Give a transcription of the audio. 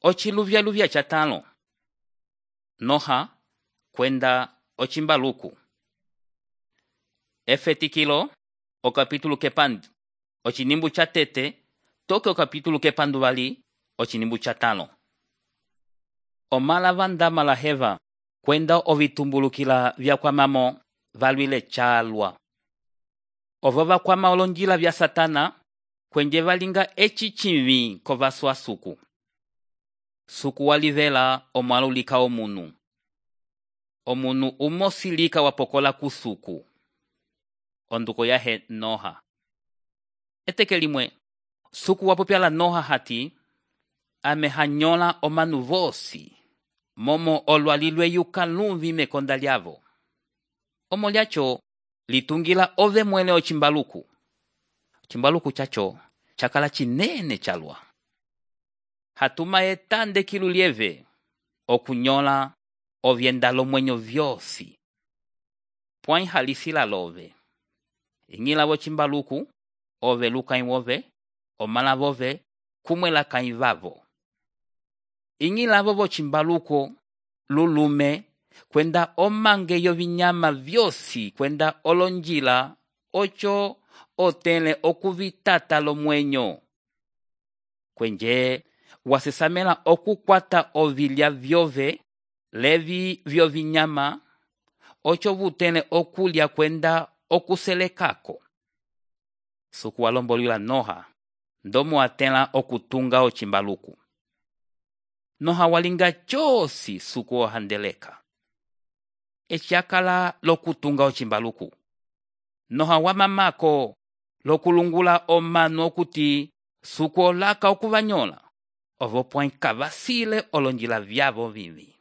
Ociluvyaluvya catalo. Noha kwenda ocimbaluku. Efetikilo okapitulo kepandu ocinimbu catete toke okapitulo kepandu vali ocinimbu catalo. Omala vandama la heva kwenda ovitumbulukila vyakwamamo valwile calwa. Ovo vakwama olonjila vya satana kwenje valinga eci civi kovaswa suku. Suku walivela omwalulika omunu. Omunu umosilika wapokola kusuku. Onduko yahe Noha. Eteke limwe, suku wapopyala Noha hati, amehanyola omanu vosi, momo olwalilwe yuka lumvi mekonda lyavo. Omo lyacho, litungila ove mwele ocimbaluku. Cimbaluku chacho, chakala chinene chalwa. Hatuma etande kilu lieve, okunyola ovyendalo mwenyo vyosi. Pwai halisila love. Ingila vo cimbaluku, ove lukai wove, omala vove, kumwela kaivavo. Ingila vo cimbaluku, lulume, kwenda omange yo vinyama vyosi, kwenda olonjila, ocho otele okuvitata lo mwenyo. Kwenje, wasesamela okukwata ovilya vyove, levi vyo vinyama, ocho vutele okulya kwenda okuselekako. Suku walombolila Noha, ndomo atela okutunga ocimbaluku. Noha walinga chosi suku ohandeleka. Echakala lokutunga ocimbaluku. Noha wamamako lokulungula omanu okuti suku olaka okuvanyola. Ovo pwai kavasile olonjila vyavo vivi.